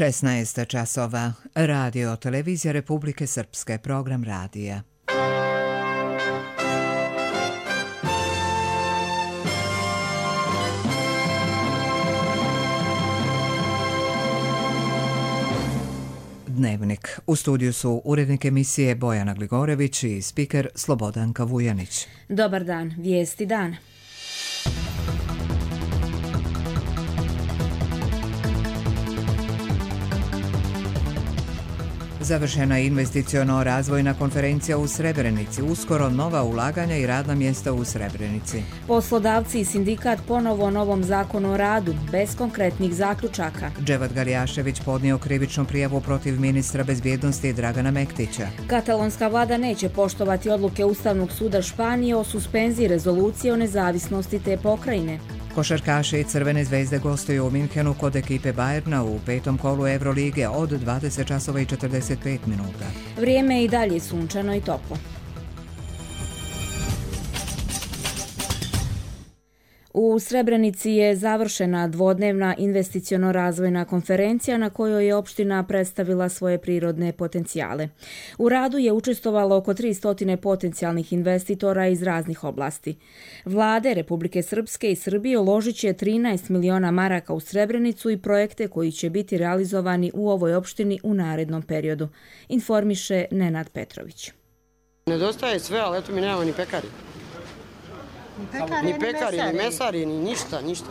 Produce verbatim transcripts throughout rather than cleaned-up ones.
šesnaest časova. Radio Televizija Republike Srpske, program radija. Dnevnik. U studiju su urednik emisije Bojana Gligorević i spiker Slobodanka Vujanić. Dobar dan, vijesti dana. Završena je investiciono-razvojna konferencija u Srebrenici. Uskoro nova ulaganja i radna mjesta u Srebrenici. Poslodavci i sindikat ponovo o novom zakonu o radu, bez konkretnih zaključaka. Dževat Garjašević podnio krivičnu prijavu protiv ministra bezbjednosti Dragana Mektića. Katalonska vlada neće poštovati odluke Ustavnog suda Španije o suspenziji rezolucije o nezavisnosti te pokrajine. Košarkaši Crvene zvezde gostuju u Minhenu kod ekipe Bayerna u petom kolu Evrolige od dvadeset časova i četrdeset pet minuta. Vrijeme je i dalje sunčano i toplo. U Srebrenici je završena dvodnevna investiciono-razvojna konferencija na kojoj je opština predstavila svoje prirodne potencijale. U radu je učestvovalo oko tristo potencijalnih investitora iz raznih oblasti. Vlade Republike Srpske i Srbije uložit će trinaest miliona maraka u Srebrenicu i projekte koji će biti realizovani u ovoj opštini u narednom periodu, informiše Nenad Petrović. Nedostaje sve, ali eto mi nemamo ni pekari. Ni pekari, ni, pekari, ni mesari, ni ništa, ništa.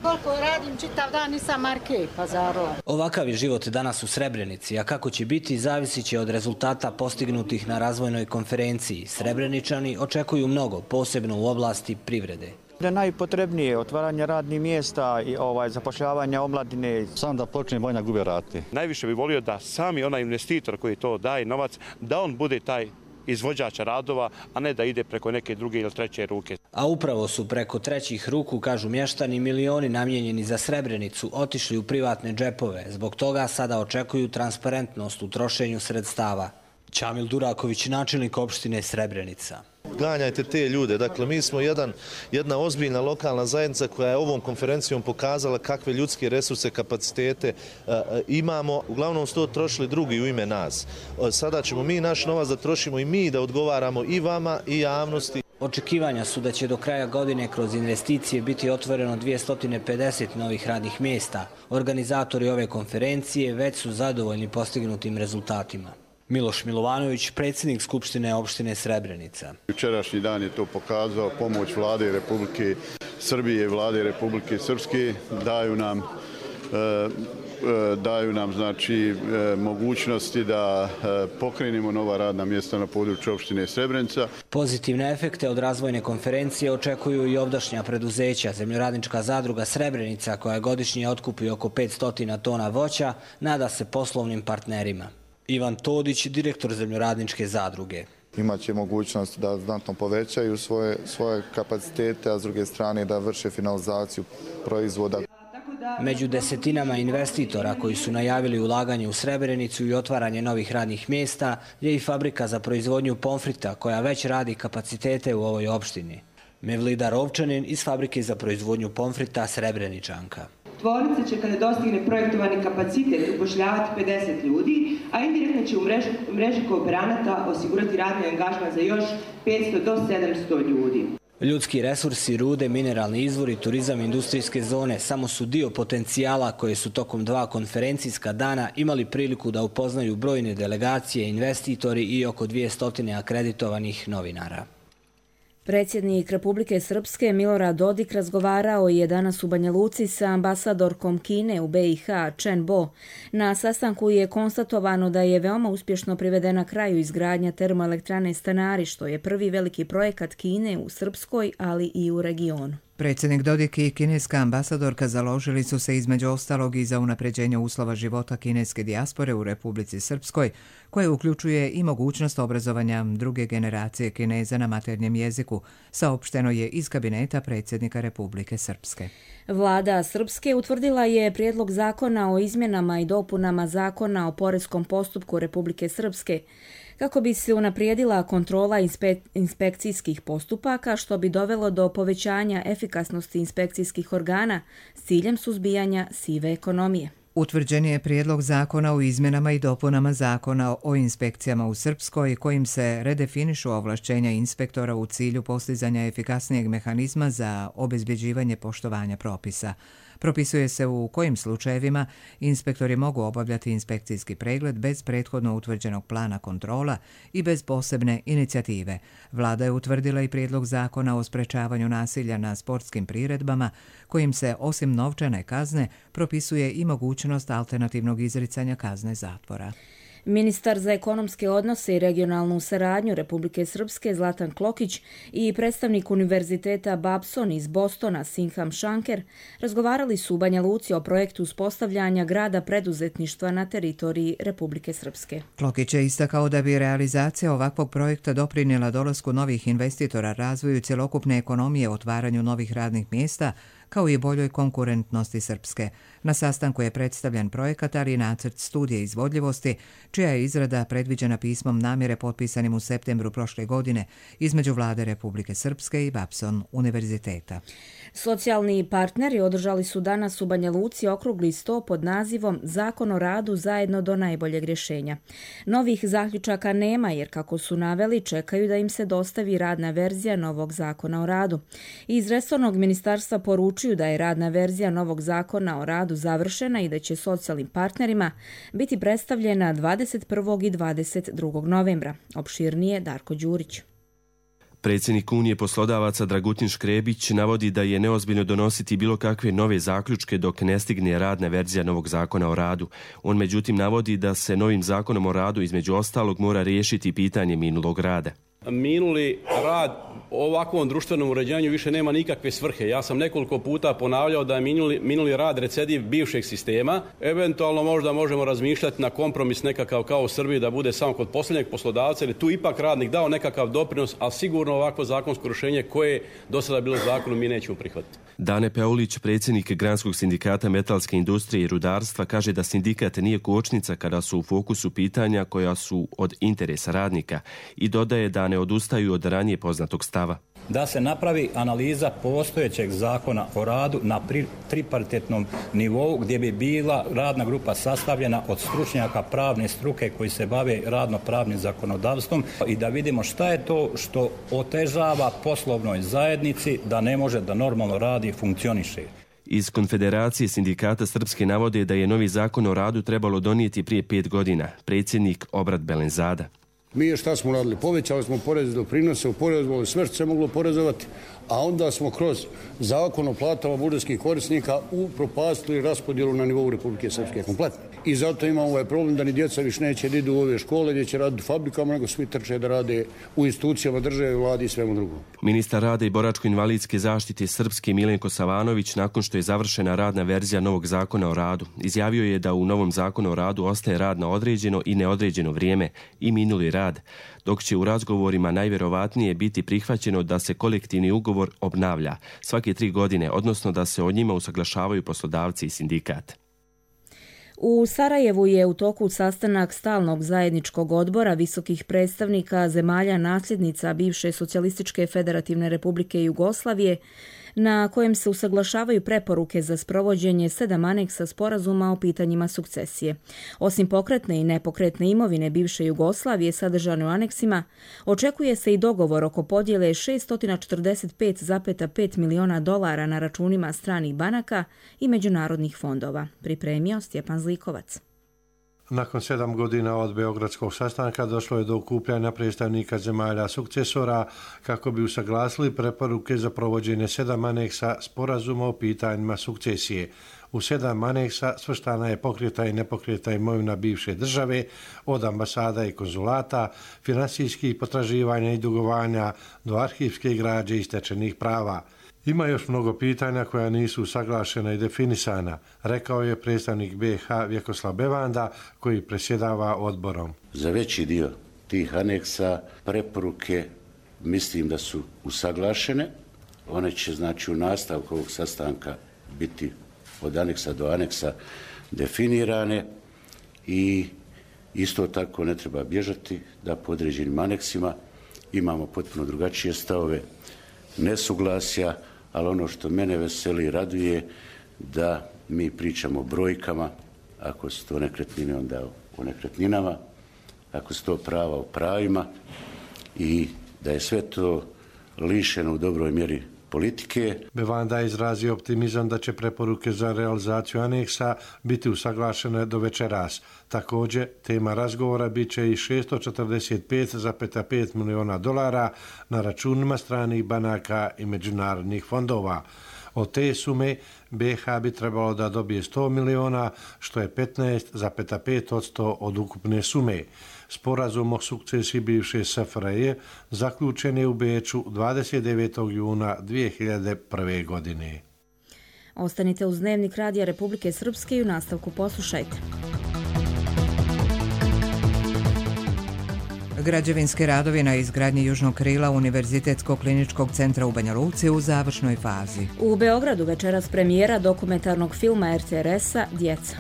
Koliko radim čitav dan nisam marke pazarova. Ovakav je život danas u Srebrenici, a kako će biti zavisit će od rezultata postignutih na razvojnoj konferenciji. Srebreničani očekuju mnogo, posebno u oblasti privrede. Da je najpotrebnije otvaranje radnih mjesta i ovaj, zapošljavanja omladine. Sam da počne vojna gube rati. Najviše bi volio da sami onaj investitor koji to daje novac, da on bude taj izvođača radova, a ne da ide preko neke druge ili treće ruke. A upravo su preko trećih ruku, kažu mještani, milioni namijenjeni za Srebrenicu otišli u privatne džepove. Zbog toga sada očekuju transparentnost u trošenju sredstava. Čamil Duraković, načelnik opštine Srebrenica. Ganjajte te ljude. Dakle, mi smo jedan, jedna ozbiljna lokalna zajednica koja je ovom konferencijom pokazala kakve ljudske resurse, kapacitete uh, imamo. Uglavnom su to trošili drugi u ime nas. Uh, sada ćemo mi naš novac da trošimo i mi da odgovaramo i vama i javnosti. Očekivanja su da će do kraja godine kroz investicije biti otvoreno dvjesto pedeset novih radnih mjesta. Organizatori ove konferencije već su zadovoljni postignutim rezultatima. Miloš Milovanović, predsjednik Skupštine opštine Srebrenica. Jučerašnji dan je to pokazao, pomoć vlade Republike Srbije i vlade Republike Srpske daju nam e, daju nam znači mogućnosti da pokrenemo nova radna mjesta na području opštine Srebrenica. Pozitivne efekte od razvojne konferencije očekuju i ovdašnja preduzeća. Zemljoradnička zadruga Srebrenica, koja godišnje otkupi oko petsto tona voća, nada se poslovnim partnerima. Ivan Todić, direktor Zemljoradničke zadruge. Imaće mogućnost da znatno povećaju svoje, svoje kapacitete, a s druge strane da vrše finalizaciju proizvoda. Među desetinama investitora koji su najavili ulaganje u Srebrenicu i otvaranje novih radnih mjesta je i fabrika za proizvodnju pomfrita koja već radi kapacitete u ovoj opštini. Mevlida Rovčanin iz fabrike za proizvodnju pomfrita Srebreničanka. Tvornica će kada dostigne projektovani kapacitet upošljavati pedeset ljudi, a indirektno će u mreži, mreži kooperanata osigurati radni angažman za još petsto do sedamsto ljudi. Ljudski resursi, rude, mineralni izvori, turizam i industrijske zone samo su dio potencijala koje su tokom dva konferencijska dana imali priliku da upoznaju brojne delegacije, investitori i oko dvjesto akreditovanih novinara. Predsjednik Republike Srpske Milorad Dodik razgovarao je danas u Banja Luci sa ambasadorkom Kine u be i ha Chen Bo. Na sastanku je konstatovano da je veoma uspješno privedena kraju izgradnja termoelektrane Stanari, što je prvi veliki projekat Kine u Srpskoj, ali i u regionu. Predsjednik Dodik i kineska ambasadorka založili su se između ostalog i za unapređenje uslova života kineske dijaspore u Republici Srpskoj, koje uključuje i mogućnost obrazovanja druge generacije Kineza na maternjem jeziku, saopšteno je iz kabineta predsjednika Republike Srpske. Vlada Srpske utvrdila je prijedlog zakona o izmjenama i dopunama zakona o poreskom postupku Republike Srpske, kako bi se unaprijedila kontrola inspe- inspekcijskih postupaka, što bi dovelo do povećanja efikasnosti inspekcijskih organa s ciljem suzbijanja sive ekonomije. Utvrđen je prijedlog zakona o izmjenama i dopunama zakona o inspekcijama u Srpskoj kojim se redefinišu ovlašćenja inspektora u cilju postizanja efikasnijeg mehanizma za obezbjeđivanje poštovanja propisa. Propisuje se u kojim slučajevima inspektori mogu obavljati inspekcijski pregled bez prethodno utvrđenog plana kontrola i bez posebne inicijative. Vlada je utvrdila i prijedlog zakona o sprečavanju nasilja na sportskim priredbama, kojim se osim novčane kazne propisuje i mogućnost alternativnog izricanja kazne zatvora. Ministar za ekonomske odnose i regionalnu saradnju Republike Srpske Zlatan Klokić i predstavnik Univerziteta Babson iz Bostona Sinham Šanker razgovarali su u Banja Luci o projektu uspostavljanja grada preduzetništva na teritoriji Republike Srpske. Klokić je istakao da bi realizacija ovakvog projekta doprinijela dolasku novih investitora, razvoju cjelokupne ekonomije, otvaranju novih radnih mjesta, kao i boljoj konkurentnosti Srpske. Na sastanku je predstavljen projekat, ali i nacrt studije izvodljivosti, čija je izrada predviđena pismom namjere potpisanim u septembru prošle godine između Vlade Republike Srpske i Babson univerziteta. Socijalni partneri održali su danas u Banja Luci okrugli sto pod nazivom Zakon o radu zajedno do najboljeg rješenja. Novih zaključaka nema jer, kako su naveli, čekaju da im se dostavi radna verzija novog zakona o radu. Iz resornog ministarstva poručuju da je radna verzija novog zakona o radu završena i da će socijalnim partnerima biti predstavljena dvadeset prvog i dvadeset drugog novembra. Opširnije Darko Đurić. Predsjednik Unije poslodavaca Dragutin Škrebić navodi da je neozbiljno donositi bilo kakve nove zaključke dok ne stigne radna verzija novog zakona o radu. On međutim navodi da se novim zakonom o radu između ostalog mora riješiti pitanje minulog rada. Minuli rad ovakvom društvenom uređenju više nema nikakve svrhe. Ja sam nekoliko puta ponavljao da je minuli, minuli rad recidiv bivšeg sistema. Eventualno možda možemo razmišljati na kompromis nekakav kao u Srbiji da bude samo kod posljednjeg poslodavca, ili tu ipak radnik dao nekakav doprinos, ali sigurno ovakvo zakonsko rješenje koje do sada bilo zakonom mi nećemo prihvatiti. Dane Peulić, predsjednik Granskog sindikata metalske industrije i rudarstva, kaže da sindikat nije kočnica kada su u fokusu pitanja koja su od interesa radnika i dodaje da ne odustaju od ranije poznatog stava. Da se napravi analiza postojećeg zakona o radu na tripartitnom nivou gdje bi bila radna grupa sastavljena od stručnjaka pravne struke koji se bave radno-pravnim zakonodavstvom i da vidimo šta je to što otežava poslovnoj zajednici da ne može da normalno radi i funkcioniše. Iz Konfederacije sindikata Srpske navode da je novi zakon o radu trebalo donijeti prije pet godina. Predsjednik Obrat Belenzada. Mi je šta smo radili? Povećali smo porez doprinose, uporezovali sve što se moglo porezovati, a onda smo kroz zakon o platama budžetskih korisnika upropastili raspodjelu na nivou Republike Srpske kompletno. I zato imamo ovaj problem da ni djeca više neće da idu u ove škole gdje će raditi u fabrikama, nego svi trče da rade u institucijama države, vladi i svemu drugom. Ministar rada i boračko-invalidske zaštite Srpske Milenko Savanović, nakon što je završena radna verzija novog zakona o radu, izjavio je da u novom zakonu o radu ostaje rad na određeno i neodređeno vrijeme i minuli rad, dok će u razgovorima najvjerovatnije biti prihvaćeno da se kolektivni ugovor obnavlja svake tri godine, odnosno da se o njima usaglašavaju poslodavci i sindikat. U Sarajevu je u toku sastanak stalnog zajedničkog odbora visokih predstavnika zemalja nasljednica bivše Socijalističke federativne republike Jugoslavije, na kojem se usaglašavaju preporuke za sprovođenje sedam aneksa sporazuma o pitanjima sukcesije. Osim pokretne i nepokretne imovine bivše Jugoslavije sadržane u aneksima, očekuje se i dogovor oko podjele šessto četrdeset pet zarez pet miliona dolara na računima stranih banaka i međunarodnih fondova. Pripremio Stjepan Zlikovac. Nakon sedam godina od beogradskog sastanka došlo je do okupljanja predstavnika zemalja sukcesora kako bi usaglasili preporuke za provođenje sedam aneksa sporazuma o pitanjima sukcesije. U sedam aneksa svrstana je pokreta i nepokreta imovina bivše države, od ambasada i konzulata, finansijskih potraživanja i dugovanja do arhivske građe i stečenih prava. Ima još mnogo pitanja koja nisu usaglašena i definisana, rekao je predstavnik B iH Vjekoslav Bevanda koji predsjedava odborom. Za veći dio tih aneksa preporuke mislim da su usaglašene. One će znači u nastavku ovog sastanka biti od aneksa do aneksa definirane i isto tako ne treba bježati da po određenim aneksima imamo potpuno drugačije stavove, nesuglasja, ali ono što mene veseli i raduje da mi pričamo o brojkama, ako su to nekretnine, onda o nekretninama, ako su to prava o pravima i da je sve to lišeno u dobroj mjeri politike. Bevanda je izrazio optimizam da će preporuke za realizaciju aneksa biti usaglašene do večeras. Također, tema razgovora bit će i šesto četrdeset pet zarez pet miliona dolara na računima stranih banaka i međunarodnih fondova. Od te sume B iH bi trebalo da dobije sto miliona, što je petnaest zarez pet posto od ukupne sume. Sporazum o sukcesiji bivše S F R J zaključen je u Beču dvadeset devetog juna dvije hiljade prve. godine. Ostanite uz Dnevnik Radija Republike Srpske i u nastavku poslušajte. Građevinski radovi na izgradnji južnog krila Univerzitetskog kliničkog centra u Banja Luci u završnoj fazi. U Beogradu večeras premijera dokumentarnog filma R T R S-a Djeca.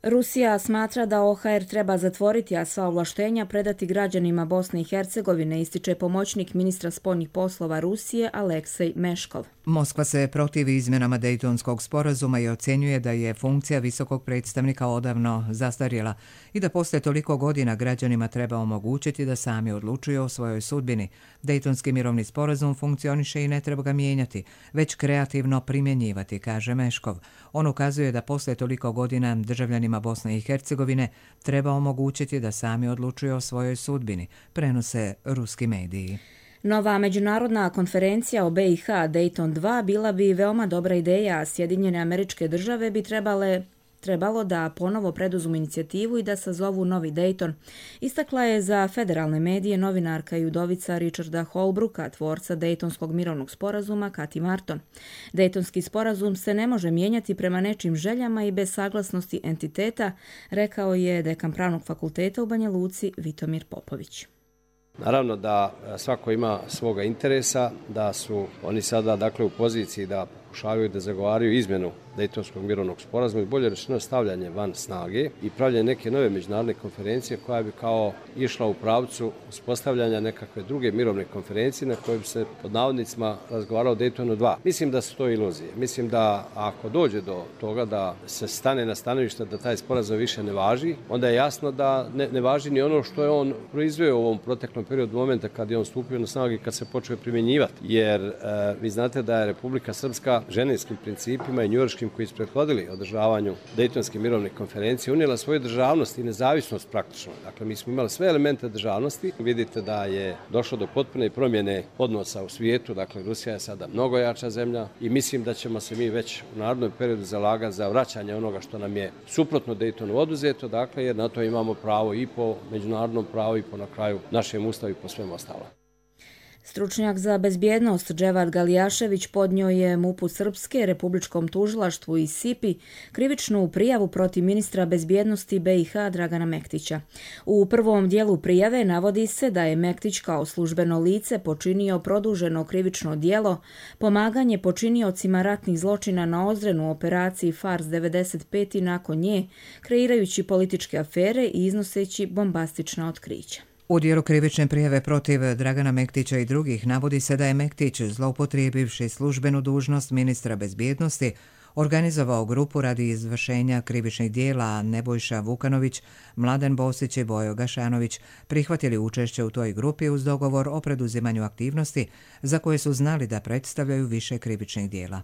Rusija smatra da O H R treba zatvoriti, a sva ovlaštenja predati građanima Bosne i Hercegovine, ističe pomoćnik ministra spoljnih poslova Rusije Aleksej Meškov. Moskva se protivi izmjenama Dejtonskog sporazuma i ocjenjuje da je funkcija visokog predstavnika odavno zastarjela i da posle toliko godina građanima treba omogućiti da sami odlučuju o svojoj sudbini. Dejtonski mirovni sporazum funkcioniše i ne treba ga mijenjati, već kreativno primjenjivati, kaže Meškov. On ukazuje da posle toliko godina državljanima Bosne i Hercegovine treba omogućiti da sami odlučuju o svojoj sudbini, prenose ruski mediji. Nova međunarodna konferencija o B iH Dayton dva bila bi veoma dobra ideja, a Sjedinjene Američke Države bi trebale trebalo da ponovo preduzmu inicijativu i da sazovu novi Dayton. Istakla je za federalne medije novinarka i udovica Richarda Holbrooka, tvorca Dejtonskog mirovnog sporazuma Kati Marton. Dejtonski sporazum se ne može mijenjati prema nečim željama i bez saglasnosti entiteta, rekao je dekan Pravnog fakulteta u Banja Luci Vitomir Popović. Naravno da svako ima svoga interesa, da su oni sada dakle u poziciji da pokušavaju da zagovaraju izmjenu Dejtonskog mirovnog sporazuma i bolje rečeno stavljanje van snage i pravljanje neke nove međunarodne konferencije koja bi kao išla u pravcu uspostavljanja nekakve druge mirovne konferencije na kojoj bi se pod navodnicima razgovarao o Dejtonu dva. Mislim da su to iluzije. Mislim da ako dođe do toga da se stane na stanovište da taj sporazum više ne važi, onda je jasno da ne, ne važi ni ono što je on proizveo u ovom proteklom periodu momenta kad je on stupio na snagu i kad se počeo primjenjivati. Jer e, vi znate da je Republika Srpska ženevskim principima i njujorškim koji su prethodili održavanju Dejtonske mirovne konferencije unijela svoju državnost i nezavisnost praktično. Dakle, mi smo imali sve elemente državnosti. Vidite da je došlo do potpune promjene odnosa u svijetu. Dakle, Rusija je sada mnogo jača zemlja i mislim da ćemo se mi već u narednom periodu zalagati za vraćanje onoga što nam je suprotno Dejtonu oduzeto, dakle, jer na to imamo pravo i po međunarodnom pravu i po na kraju našem ustavu i po svemu ostalom. Stručnjak za bezbjednost Dževad Galijašević podnio je MUP-u Srpske, Republičkom tužilaštvu i S I P-i krivičnu prijavu protiv ministra bezbjednosti B iH Dragana Mektića. U prvom dijelu prijave navodi se da je Mektić kao službeno lice počinio produženo krivično djelo, pomaganje počiniocima ratnih zločina na Ozrenu u operaciji Fars devedeset pet i nakon nje, kreirajući političke afere i iznoseći bombastična otkrića. U dijelu krivične prijave protiv Dragana Mektića i drugih navodi se da je Mektić, zloupotrijebivši službenu dužnost ministra bezbjednosti, organizovao grupu radi izvršenja krivičnih dijela, a Nebojša Vukanović, Mladen Bosić i Bojo Gašanović prihvatili učešće u toj grupi uz dogovor o preduzimanju aktivnosti za koje su znali da predstavljaju više krivičnih dijela.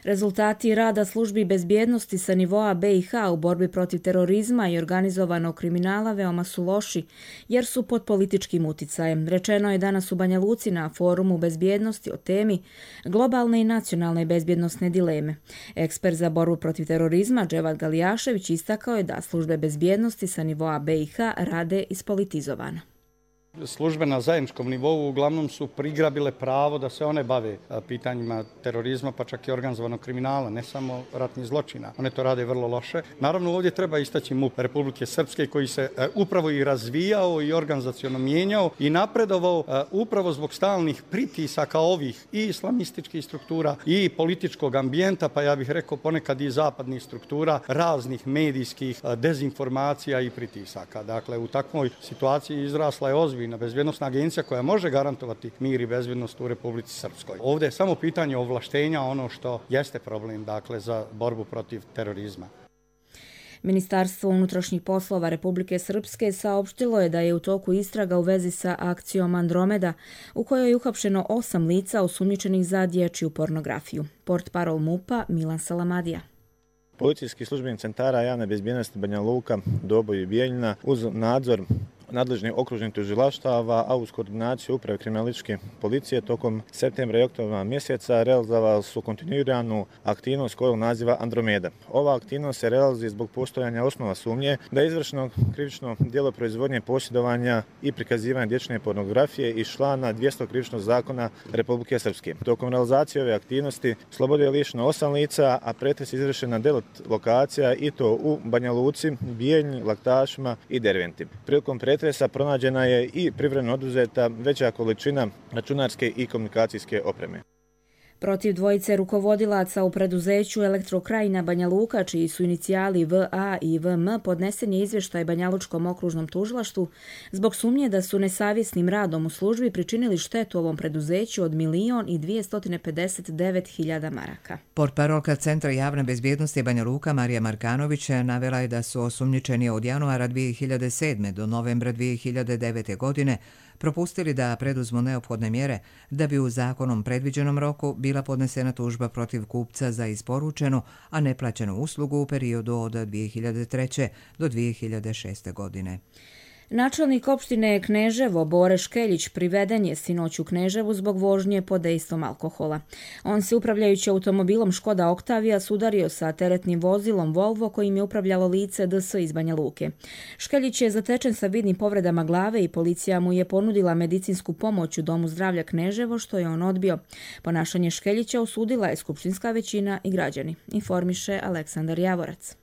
Rezultati rada službi bezbjednosti sa nivoa B iH u borbi protiv terorizma i organizovanog kriminala veoma su loši, jer su pod političkim uticajem. Rečeno je danas u Banja Luci na forumu bezbjednosti o temi globalne i nacionalne bezbjednosne dileme. Ekspert za borbu protiv terorizma Dževad Galijašević istakao je da službe bezbjednosti sa nivoa B iH rade ispolitizovano. Službe na zajedničkom nivou uglavnom su prigrabile pravo da se one bave pitanjima terorizma, pa čak i organizovanog kriminala, ne samo ratnih zločina. One to rade vrlo loše. Naravno, ovdje treba istaći MUP Republike Srpske koji se upravo i razvijao i organizaciono mijenjao i napredovao upravo zbog stalnih pritisaka ovih i islamističkih struktura i političkog ambijenta, pa ja bih rekao ponekad i zapadnih struktura, raznih medijskih dezinformacija i pritisaka. Dakle, u takvoj situaciji izrasla je ozbiljna Civilna bezbjednostna agencija koja može garantovati mir i bezbjednost u Republici Srpskoj. Ovdje je samo pitanje ovlaštenja ono što jeste problem, dakle, za borbu protiv terorizma. Ministarstvo unutrašnjih poslova Republike Srpske saopštilo je da je u toku istraga u vezi sa akcijom Andromeda, u kojoj je uhapšeno osam lica osumnjičenih za dječju pornografiju. Portparol MUP-a Milan Salamadija. Policijski službenik centara javne bezbjednosti Banja Luka, Doboj i Bijeljina uz nadzor nadležnih okružnih tužilaštava, a uz koordinaciju uprave kriminalističke policije tokom septembra i oktobra mjeseca realizovali su kontinuiranu aktivnost kojeg naziva Andromeda. Ova aktivnost se realizuje zbog postojanja osnova sumnje da je izvršeno krivično djelo proizvodnje, posjedovanja i prikazivanja dječje pornografije iz člana dvjesto krivičnog zakona Republike Srpske. Tokom realizacije ove aktivnosti slobode je lišeno osam lica, a pretres izvršen na devet lokacija i to u Banja Luci, Bijeljni, Laktašima i Derventi. Prilikom pretresa pronađena je i privremeno oduzeta veća količina računarske i komunikacijske opreme. Protiv dvojice rukovodilaca u preduzeću Elektrokrajina Banja Luka, čiji su inicijali V A i V M, podnesen je izvještaj Banjalučkom okružnom tužilaštvu zbog sumnje da su nesavjesnim radom u službi pričinili štetu ovom preduzeću od milion i dvjesto pedeset devet hiljada maraka. Portparolka Centra javne bezbjednosti Banja Luka Marija Markanović navela je da su osumnjičeni od januara dvije hiljade sedme do novembra dvije hiljade devete godine propustili da preduzmu neophodne mjere da bi u zakonom predviđenom roku bila podnesena tužba protiv kupca za isporučenu, a neplaćenu uslugu u periodu od dvije hiljade treće do dvije hiljade šeste godine. Načelnik opštine Kneževo Bore Škeljić priveden je sinoć u Kneževu zbog vožnje pod dejstvom alkohola. On se upravljajući automobilom Škoda Octavia sudario sa teretnim vozilom Volvo kojim je upravljalo lice D S iz Banja Luke. Škeljić je zatečen sa vidnim povredama glave i policija mu je ponudila medicinsku pomoć u Domu zdravlja Kneževo, što je on odbio. Ponašanje Škeljića osudila je skupštinska većina i građani, informiše Aleksandar Javorac.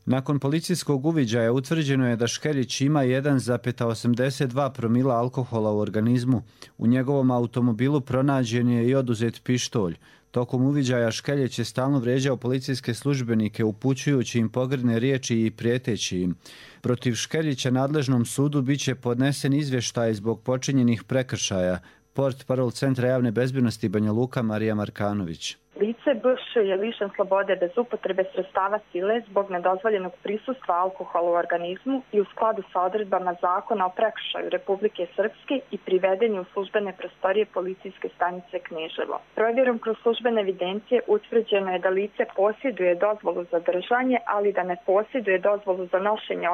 Nakon policijskog uviđaja utvrđeno je da Škeljić ima jedan zarez osamdeset dva promila alkohola u organizmu. U njegovom automobilu pronađen je i oduzet pištolj. Tokom uviđaja Škeljić je stalno vrijeđao policijske službenike, upućujući im pogrdne riječi i prijeteći im. Protiv Škeljića nadležnom sudu biće podnesen izvještaj zbog počinjenih prekršaja. Portparol Centra javne bezbjednosti Banja Luka Marija Markanović. Lice B Š je lišen slobode bez upotrebe sredstava sile zbog nedozvoljenog prisustva alkohola u organizmu i u skladu sa odredbama Zakona o prekršaju Republike Srpske i priveden je u službene prostorije policijske stanice Kneževo. Provjerom kroz službene evidencije utvrđeno je da lice posjeduje dozvolu za držanje, ali da ne posjeduje dozvolu za nošenje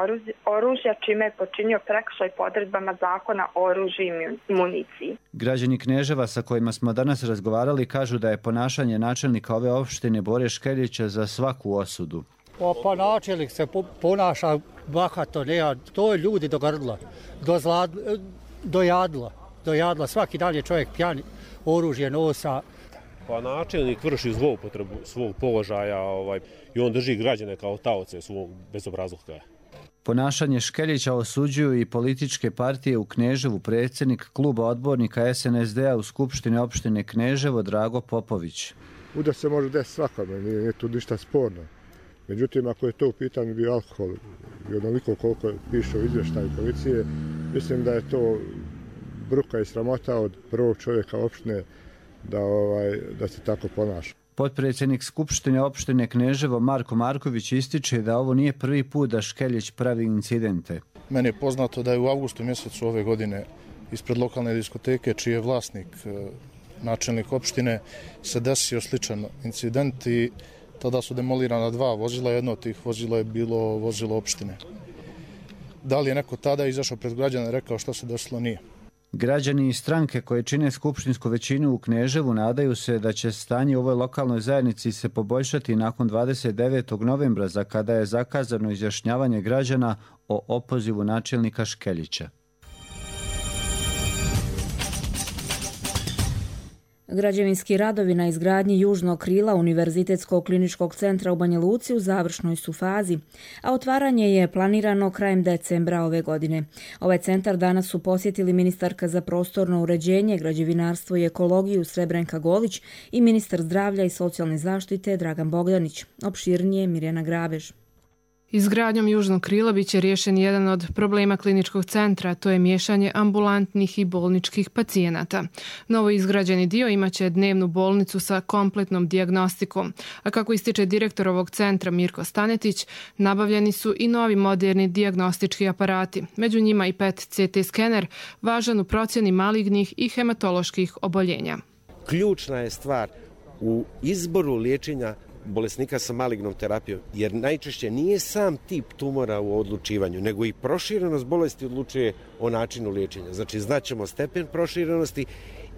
oružja, čime je počinio prekršaj po odredbama Zakona o oružju i municiji. Građani Kneževa sa kojima smo danas razgovarali kažu da je ponašanje načelnika ove opštine Bore Škeljića za svaku osudu. Pa, pa načelnik se ponaša bahato, ne, to je ljudi do grdla, do, zlad, do jadla, do jadla. Svaki dan je čovjek pjan, oružje nosa. Pa načelnik vrši zloupotrebu svog položaja ovaj, i on drži građane kao taoce svog bezobrazluka. Ponašanje Škeljića osuđuju i političke partije u Kneževu, predsjednik kluba odbornika S N S D-a u Skupštini opštine Kneževo Drago Popović. Uda se može desiti svakome, nije, nije tu ništa sporno. Međutim, ako je to u pitanju bio alkohol i onoliko koliko piše u izvještaju policije, mislim da je to bruka i sramota od prvog čovjeka opštine da, ovaj, da se tako ponaša. Potpredsjednik Skupštine opštine Kneževo Marko Marković ističe da ovo nije prvi put da Škeljić pravi incidente. Meni je poznato da je u avgustu mjesecu ove godine ispred lokalne diskoteke, čiji je vlasnik načelnik opštine, se desio sličan incident i tada su demolirana dva vozila. Jedno od tih vozila je bilo vozilo opštine. Da li je neko tada izašao pred građane i rekao što se desilo? Nije. Građani i stranke koje čine skupštinsku većinu u Kneževu nadaju se da će stanje u ovoj lokalnoj zajednici se poboljšati nakon dvadeset devetog novembra, za kada je zakazano izjašnjavanje građana o opozivu načelnika Škeljića. Građevinski radovi na izgradnji južnog krila Univerzitetskog kliničkog centra u Banja Luci u završnoj su fazi, a otvaranje je planirano krajem decembra ove godine. Ovaj centar danas su posjetili ministarka za prostorno uređenje, građevinarstvo i ekologiju Srebrenka Golić i ministar zdravlja i socijalne zaštite Dragan Bogdanić. Opširnije Mirjana Grabež. Izgradnjom južnog krila biće riješen jedan od problema kliničkog centra, to je miješanje ambulantnih i bolničkih pacijenata. Novo izgrađeni dio imaće dnevnu bolnicu sa kompletnom dijagnostikom, a kako ističe direktor ovog centra Mirko Stanetić, nabavljeni su i novi moderni dijagnostički aparati, među njima i P E T C T skener, važan u procjeni malignih i hematoloških oboljenja. Ključna je stvar u izboru liječenja bolesnika sa malignom terapijom, jer najčešće nije sam tip tumora u odlučivanju, nego i proširenost bolesti odlučuje o načinu liječenja. Znači, znaćemo stepen proširenosti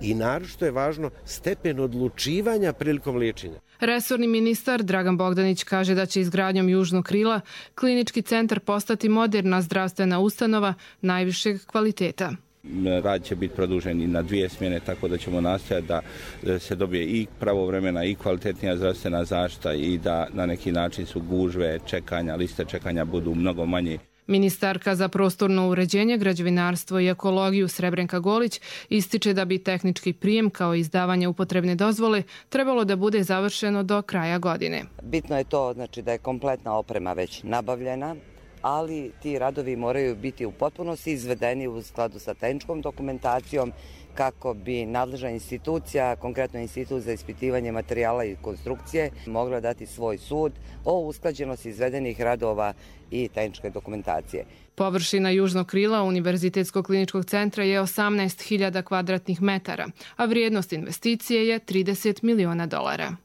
i naročito je važno stepen odlučivanja prilikom liječenja. Resorni ministar Dragan Bogdanić kaže da će izgradnjom južnog krila klinički centar postati moderna zdravstvena ustanova najvišeg kvaliteta. Rad će biti produžen i na dvije smjene, tako da ćemo nastojati da se dobije i pravovremena i kvalitetnija zdravstvena zaštita i da na neki način su gužve čekanja, liste čekanja budu mnogo manje. Ministarka za prostorno uređenje, građevinarstvo i ekologiju Srebrenka Golić ističe da bi tehnički prijem kao izdavanje upotrebne dozvole trebalo da bude završeno do kraja godine. Bitno je to, znači, da je kompletna oprema već nabavljena, ali ti radovi moraju biti u potpunosti izvedeni u skladu sa tehničkom dokumentacijom kako bi nadležna institucija, konkretno Institut za ispitivanje materijala i konstrukcije, mogla dati svoj sud o usklađenosti izvedenih radova i tehničke dokumentacije. Površina južnog krila Univerzitetskog kliničkog centra je osamnaest hiljada kvadratnih metara, a vrijednost investicije je trideset miliona dolara.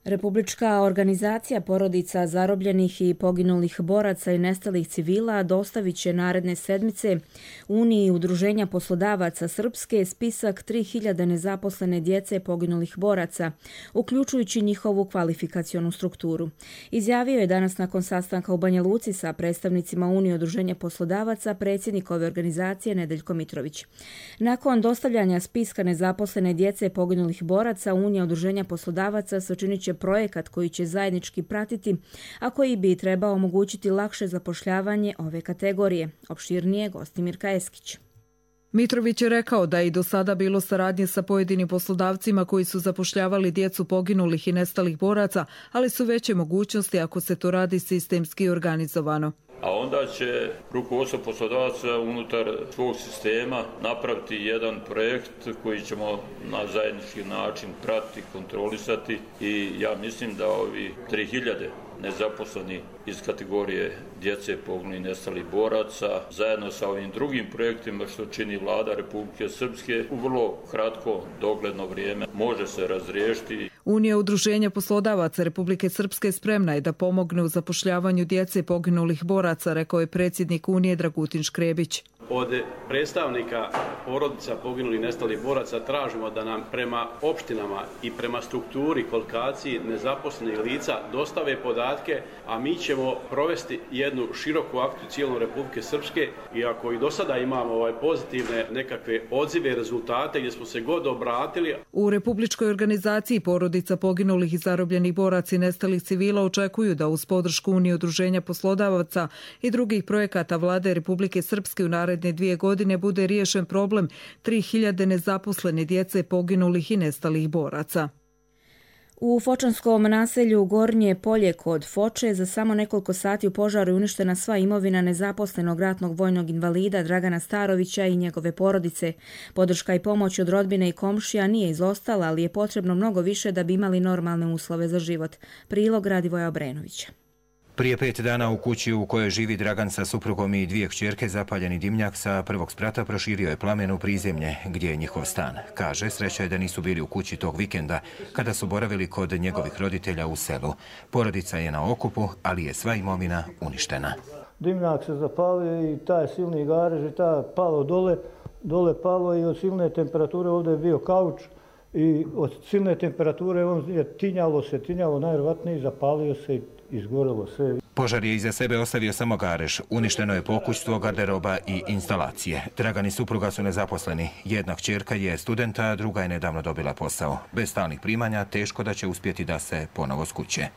Republička organizacija porodica zarobljenih i poginulih boraca i nestalih civila dostavit će naredne sedmice Uniji udruženja poslodavaca Srpske spisak tri hiljade nezaposlene djece poginulih boraca, uključujući njihovu kvalifikacionu strukturu. Izjavio je danas nakon sastanka u Banja Luci sa predstavnicima Unije udruženja poslodavaca predsjednik ove organizacije Nedeljko Mitrović. Nakon dostavljanja spiska nezaposlene djece poginulih boraca, Unija udruženja poslodavaca sačinit će projekat koji će zajednički pratiti, a koji bi trebao omogućiti lakše zapošljavanje ove kategorije. Opširnije Gostimir Kajeskić. Mitrović je rekao da je i do sada bilo saradnje sa pojedinim poslodavcima koji su zapošljavali djecu poginulih i nestalih boraca, ali su veće mogućnosti ako se to radi sistemski i organizovano. A onda će rukovodstvo poslodavaca unutar svog sistema napraviti jedan projekt koji ćemo na zajednički način pratiti, kontrolisati i ja mislim da ovi tri hiljade nezaposleni iz kategorije djece poginulih i nestalih boraca zajedno sa ovim drugim projektima što čini vlada Republike Srpske u vrlo kratko dogledno vrijeme može se razriješiti. Unija udruženja poslodavaca Republike Srpske spremna je da pomogne u zapošljavanju djece poginulih boraca, rekao je predsjednik Unije Dragutin Škrebić. Od predstavnika porodica poginulih i nestalih boraca tražimo da nam prema opštinama i prema strukturi kvalifikaciji nezaposlenih lica dostave podatke, a mi ćemo provesti jednu široku akciju cijelom Republike Srpske i ako i do sada imamo ovaj pozitivne nekakve odzive, rezultate gdje smo se god obratili. U Republičkoj organizaciji porodica poginulih i zarobljenih boraca i nestalih civila očekuju da uz podršku Unije udruženja poslodavaca i drugih projekata vlade Republike Srpske u naredne dvije godine bude riješen problem tri hiljade nezaposlene djece poginulih i nestalih boraca. U fočanskom naselju Gornje Polje kod Foče za samo nekoliko sati u požaru je uništena sva imovina nezaposlenog ratnog vojnog invalida Dragana Starovića i njegove porodice. Podrška i pomoć od rodbine i komšija nije izostala, ali je potrebno mnogo više da bi imali normalne uslove za život. Prilog Radivoja Obrenovića. Prije pet dana u kući u kojoj živi Dragan sa suprugom i dvije kćerke zapaljeni dimnjak sa prvog sprata proširio je plamen u prizemlje gdje je njihov stan. Kaže, sreća je da nisu bili u kući tog vikenda kada su boravili kod njegovih roditelja u selu. Porodica je na okupu, ali je sva imovina uništena. Dimnjak se zapalio i taj silni garež i taj palo dole, dole palo i od silne temperature ovdje je bio kauč i od silne temperature on je tinjalo se, tinjalo najvjerojatnije, zapalio se i izgorelo sve. Požar je iza sebe ostavio samo garež. Uništeno je pokućstvo, garderoba i instalacije. Dragan i supruga su nezaposleni. Jedna kćerka je studenta, a druga je nedavno dobila posao. Bez stalnih primanja teško da će uspjeti da se ponovo skuće.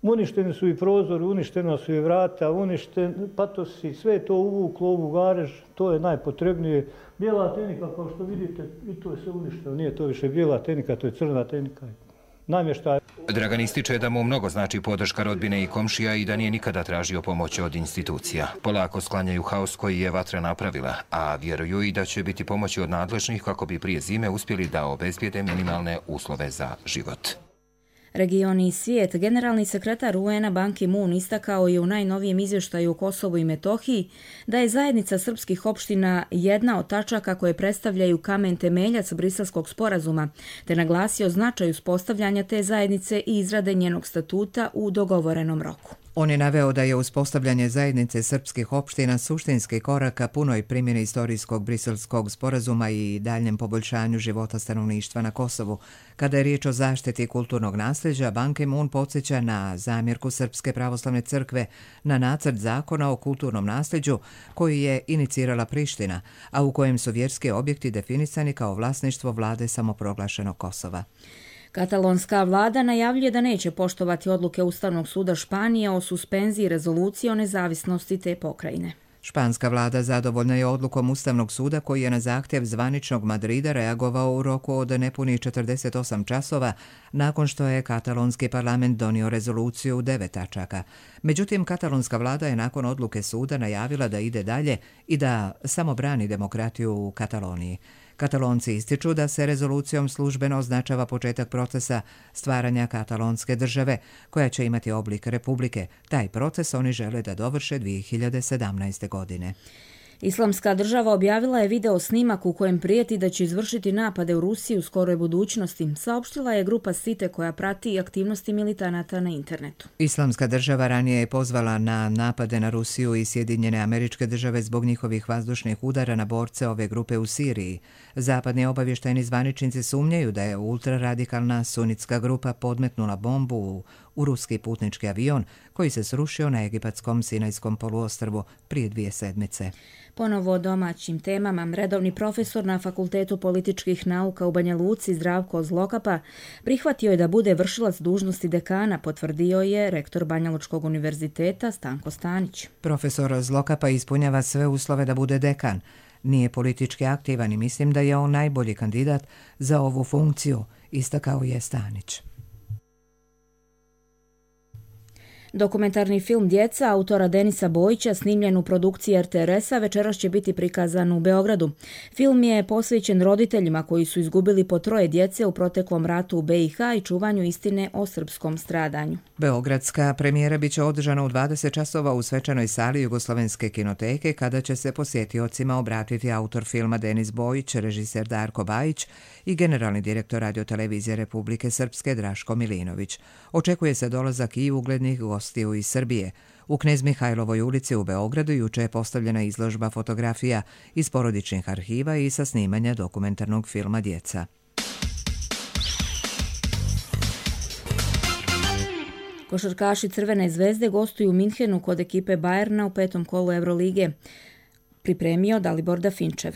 Uništeni su i prozori, uništena su i vrata, uništen patosi, sve je to uvuklo u garež, to je najpotrebnije. Bijela tehnika, kao što vidite, i to je sve uništeno. Nije to više bijela tehnika, to je crna tehnika. namještaj. Dragan ističe da mu mnogo znači podrška rodbine i komšija i da nije nikada tražio pomoć od institucija. Polako sklanjaju haos koji je vatra napravila, a vjeruju i da će biti pomoći od nadležnih kako bi prije zime uspjeli da obezbijede minimalne uslove za život. Region i svijet. Generalni sekretar U N-a Ban Ki-moon istakao je u najnovijem izvještaju o Kosovu i Metohiji da je zajednica srpskih opština jedna od tačaka koje predstavljaju kamen temeljac Briselskog sporazuma, te naglasio značaj uspostavljanja te zajednice i izrade njenog statuta u dogovorenom roku. On je naveo da je uspostavljanje zajednice srpskih opština suštinski korak ka punoj primjeni istorijskog briselskog sporazuma i daljem poboljšanju života stanovništva na Kosovu. Kada je riječ o zaštiti kulturnog nasljeđa, Ban Ki-moon podsjeća na zamjerku Srpske pravoslavne crkve na nacrt zakona o kulturnom nasljeđu koji je inicirala Priština, a u kojem su vjerski objekti definisani kao vlasništvo vlade samoproglašenog Kosova. Katalonska vlada najavljuje da neće poštovati odluke Ustavnog suda Španije o suspenziji rezolucije o nezavisnosti te pokrajine. Španska vlada zadovoljna je odlukom Ustavnog suda koji je na zahtjev zvaničnog Madrida reagovao u roku od nepunih četrdeset osam časova nakon što je katalonski parlament donio rezoluciju u devet tačaka. Međutim, katalonska vlada je nakon odluke suda najavila da ide dalje i da samo brani demokratiju u Kataloniji. Katalonci ističu da se rezolucijom službeno označava početak procesa stvaranja katalonske države, koja će imati oblik republike. Taj proces oni žele da dovrše dvije hiljade sedamnaeste. godine. Islamska država objavila je video snimak u kojem prijeti da će izvršiti napade u Rusiji u skoroj budućnosti, saopštila je grupa Site koja prati aktivnosti militanata na internetu. Islamska država ranije je pozvala na napade na Rusiju i Sjedinjene Američke Države zbog njihovih vazdušnih udara na borce ove grupe u Siriji. Zapadni obavještajni zvaničnici sumnjaju da je ultraradikalna sunitska grupa podmetnula bombu u, u ruski putnički avion koji se srušio na egipatskom Sinajskom poluostrvu prije dvije sedmice. Ponovo o domaćim temama. Redovni profesor na Fakultetu političkih nauka u Banja Luci Zdravko Zlokapa prihvatio je da bude vršilac dužnosti dekana, potvrdio je rektor Banjalučkog univerziteta Stanko Stanić. Profesor Zlokapa ispunjava sve uslove da bude dekan. Nije politički aktivan i mislim da je on najbolji kandidat za ovu funkciju, istakao je Stanić. Dokumentarni film Djeca autora Denisa Bojića snimljen u produkciji R T R S-a večeras će biti prikazan u Beogradu. Film je posvećen roditeljima koji su izgubili po troje djece u proteklom ratu u B i H i čuvanju istine o srpskom stradanju. Beogradska premijera biće održana u dvadeset časova u svečanoj sali Jugoslovenske kinoteke kada će se posjetiocima obratiti autor filma Denis Bojić, režiser Darko Bajić i generalni direktor radiotelevizije Republike Srpske Draško Milinović. Očekuje se dolazak i uglednih gostiju iz Srbije. U Knez Mihajlovoj ulici u Beogradu juče je postavljena izložba fotografija iz porodičnih arhiva i sa snimanja dokumentarnog filma Djeca. Košarkaši Crvene zvezde gostuju u Minhenu kod ekipe Bayerna u petom kolu Eurolige. Pripremio Dalibor Dafinčev.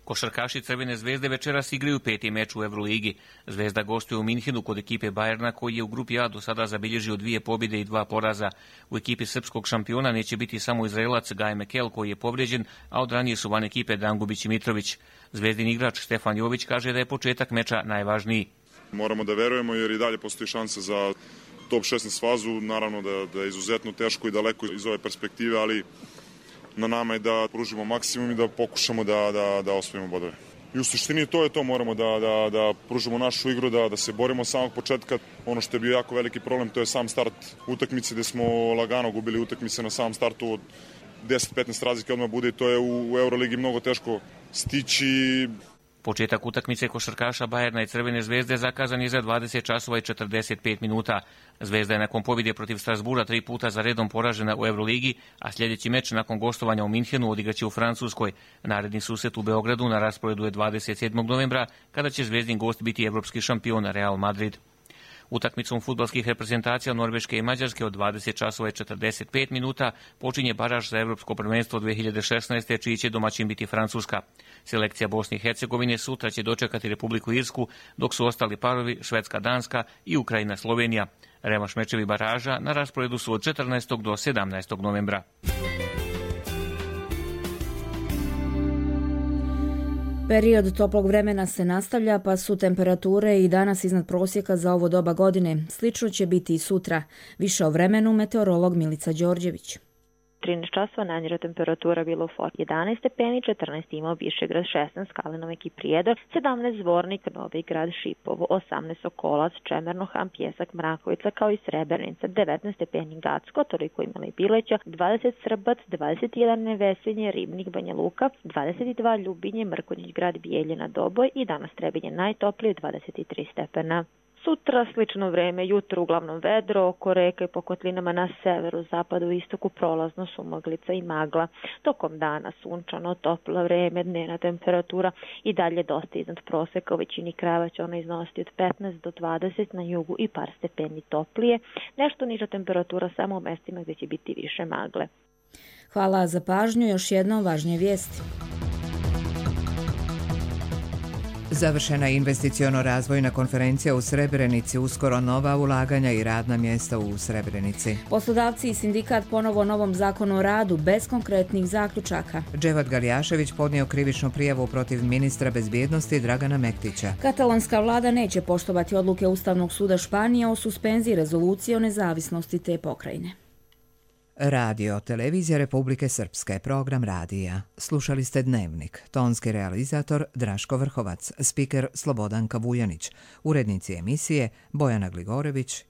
Košarkaši Crvene zvezde večeras igraju peti meč u Euroligi. Zvezda gostuje u Minhenu kod ekipe Bayerna koji je u grupi A do sada zabilježio dvije pobjede i dva poraza. U ekipi srpskog šampiona neće biti samo Izraelac Gaj Mekel koji je povrijeđen, a od ranije su van ekipe Dangubić i Mitrović. Zvezdin igrač Stefan Jović kaže da je početak meča najvažniji. Moramo da verujemo jer i dalje postoji šansa za top šesnaest fazu. Naravno da, da je izuzetno teško i daleko iz ove perspektive, ali na nama je da pružimo maksimum i da pokušamo da, da, da osvojimo bodove. I u suštini to je to, moramo da, da, da pružimo našu igru, da, da se borimo od samog početka. Ono što je bio jako veliki problem, to je sam start utakmice gde smo lagano gubili utakmice na samom startu od deset do petnaest razlike odmah bude i to je u, u Euroligi mnogo teško stići. Početak utakmice košarkaša Bayerna i Crvene zvezde zakazan je za dvadeset časova i četrdeset pet minuta. Zvezda je nakon pobjede protiv Strasbura tri puta za redom poražena u Euroligi, a sljedeći meč nakon gostovanja u Minhenu odigraće u Francuskoj. Naredni susret u Beogradu na rasporedu je dvadeset sedmog novembra, kada će zvezdin gost biti evropski šampion Real Madrid. Utakmicom fudbalskih reprezentacija Norveške i Mađarske od dvadeset časova i četrdeset pet minuta počinje baraž za Evropsko prvenstvo dve hiljade šesnaeste. čiji će domaćin biti Francuska. Selekcija Bosne i Hercegovine sutra će dočekati Republiku Irsku, dok su ostali parovi Švedska, Danska i Ukrajina, Slovenija. Revanš mečevi baraža na rasporedu su od četrnaestog do sedamnaestog novembra. Period toplog vremena se nastavlja, pa su temperature i danas iznad prosjeka za ovo doba godine. Slično će biti i sutra. Više o vremenu meteorolog Milica Đorđević. trinaest časova najniža temperatura bila u Fort jedanaest stepeni, četrnaest imao Višegrad, šesnaest Kalinove i Prijedor, sedamnaest Zvornik, Novi Grad, Šipovo, osamnaest Sokolac, Čemerno, Ham, Pjesak, Mrakovica kao i Srebrenica, devetnaest stepeni Gacko, toliko imala i Bileća, dvadeset Srbac, dvadeset jedan Nevesinje, Ribnik, Banja Luka, dvadeset dva Ljubinje, Mrkonjić Grad, Bijeljina, Doboj i danas Trebinje najtoplije dvadeset tri stepena. Sutra slično vreme, jutro uglavnom vedro, oko reka i po kotlinama na severu, zapadu i istoku prolazno sumaglica i magla. Tokom dana sunčano, toplo vreme, dnevna temperatura i dalje dosta iznad proseka. U većini krajeva će ona iznositi od petnaest do dvadeset, na jugu i par stepeni toplije. Nešto niža temperatura samo u mestima gdje će biti više magle. Hvala za pažnju, još jednom važnije vijesti. Završena je investiciono-razvojna konferencija u Srebrenici, uskoro nova ulaganja i radna mjesta u Srebrenici. Poslodavci i sindikat ponovo novom zakonu o radu bez konkretnih zaključaka. Dževat Galjašević podnio krivičnu prijavu protiv ministra bezbjednosti Dragana Mektića. Katalonska vlada neće poštovati odluke Ustavnog suda Španije o suspenziji rezolucije o nezavisnosti te pokrajine. Radio, televizija Republike Srpske, program radija. Slušali ste Dnevnik, tonski realizator Draško Vrhovac, spiker Slobodan Kavujanić, urednici emisije Bojana Gligorević